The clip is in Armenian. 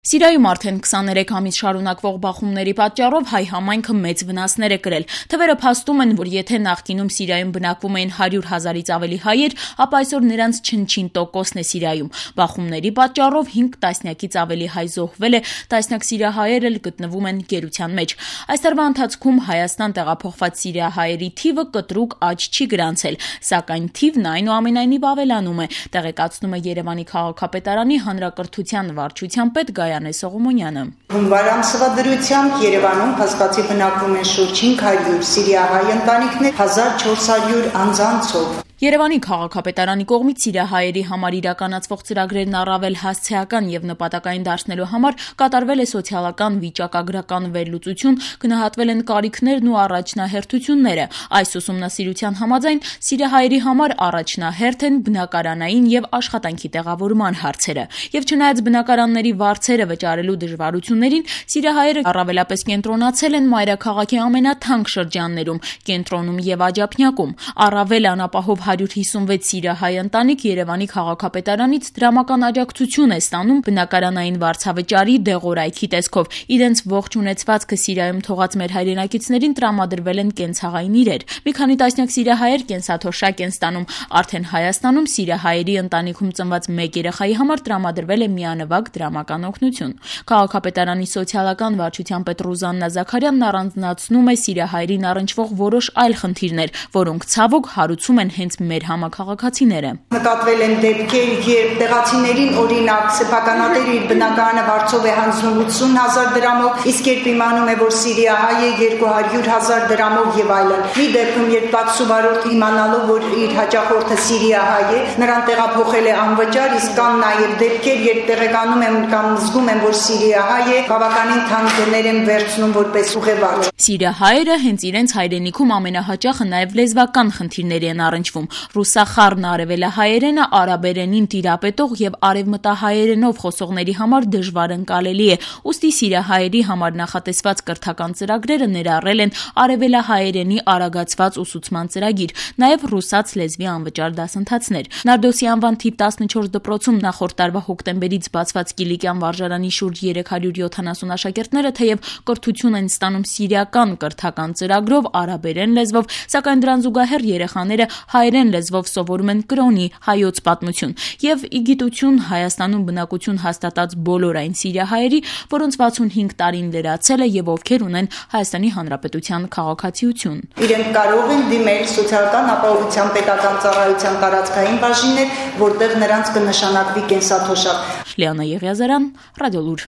Սիրիայում արդեն 23 ամիս շարունակվող բախումների պատճառով հայ համայնքը մեծ վնասներ է կրել։ Թվերը փաստում են, որ եթե նախկինում Սիրիայում բնակվում էին 100 հազարից ավելի հայեր, ապա այսօր նրանց չնչին տոկոսն է Սիրիայում։ Բախումների պատճառով 5 տասնյակից ավելի հայ զոհվել է, տասնյակ սիրիահայեր էլ գտնվում են գերության մեջ։ Այս տարվա ընթացքում Հայաստան տեղափոխված սիրիահայերի թիվը կտրուկ աճ չի գրանցել, սակայն թիվն այնուամենայնիվ ավելանում է, տեղեկացնում է Երևանի քաղաքապետարանի հանրակրթության վարչության պետ Գայանե Սողոմոնյանը։ Հունվար ամսվա դրությամբ Երևանում փաստացի բնակվում են շուրջ 500 սիրիահայ ընտանիքներ, 1400 անձանցով։ Երևանի քաղաքապետարանի կողմից սիրիահայերի համար իրականացվող ծրագրերն առավել հասցեական եւ նպատակային դարձնելու համար կատարվել է սոցիալական վիճակագրական վերլուծություն, գնահատվել են կարիքներն ու առաջնահերթությունները։ Այս ուսումնասիրության համաձայն սիրիահայերի համար առաջնահերթ են բնակարանային եւ աշխատանքի տեղավորման հարցերը։ Եվ չնայած բնակարանների վարձերը վճարելու դժվարություններին, սիրիահայերը առավելապես կենտրոնացել են մայրաքաղաքի ամենաթանկ շրջաններում՝ կենտրոնում եւ Աջափնյակում։ Առավել անապահով 156 սիրիահայ ընտանիք Երևանի քաղաքապետարանից դրամական աջակցություն է ստանում բնակարանային վարձավճարի դեղորայքի տեսքով։ Իրենց ողջ ունեցվածքը Սիրիայում թողած մեր հայրենակիցներին տրամադրվել են կենցաղային իրեր։ Մի քանի տասնյակ սիրիահայեր կենսաթոշակ են ստանում։ Արդեն Հայաստանում սիրիահայերի ընտանիքում ծնված մեկ երեխայի համար տրամադրվել է միանվագ դրամական օգնություն։ Քաղաքապետարանի սոցիալական վարչության պետ Ռուզաննա Զաքարյանն առանձնացնում է սիրիահայերին առնչվող որոշ այլ խնդիրներ, որոնք ցավոք հարուցում են հենց մեր համաքաղաքացիները։ Նկատվել են դեպքեր, երբ տեղացիներին օրինակ սեփականատերը իր բնակարանը վարձով է հանձնում 80,000 դրամով, իսկ երբ իմանում է, որ սիրիահայ է 200,000 դրամով եւ այլն։ Մի դեպքում, երբ տաքսու վարորդը իմանալով, որ իր հաճախորդը սիրիահայ է, նրան տեղափոխել է անվճար, իսկ կան նաեւ դեպքեր, երբ տեղեկանում են կամ զգում են, որ սիրիահայ է, բավականին թանկ գներ են վերցնում որպես ուղևորը։ Սիրիահայերը հենց իրենց հայրենիքում ամենահաճախը նաեւ լեզվական խնդիրների են առնչվում։ Ռուսախառն արևելահայերենը արաբերենին տիրապետող եւ արևմտահայերենով խոսողների համար դժվար ընկալելի է։ Ուստի սիրիահայերի համար նախատեսված կրթական ծրագրերը ներառել են արևելահայերենի արագացված ուսուցման ծրագիր, նաեւ ռուսաց լեզվի անվճար դասընթացներ։ Նարդոսի անվան թիվ 14 դպրոցում նախորդ տարվա հոկտեմբերից բացված Կիլիկյան վարժարանի շուրջ 370 աշակերտները թեև կրթություն են ստանում սիրիական կրթական ծրագրով արաբերեն լեզվով, սակայն դրան զուգահեռ երեխաները հայերեն լեզվով սովորում են կրոնի հայոց պատմություն եւ ի գիտություն Հայաստանում բնակություն հաստատած բոլոր այն սիրիահայերի, որոնց 65 տարին լրացել է եւ ովքեր ունեն Հայաստանի Հանրապետության քաղաքացիություն։ Իրենք կարող են դիմել սոցիալական ապահովության պետական ծառայության տարածքային բաժիններ, որտեղ նրանց կնշանակվի կենսաթոշակ։ Լիանա Եղիազարյան, Ռադիոլուր։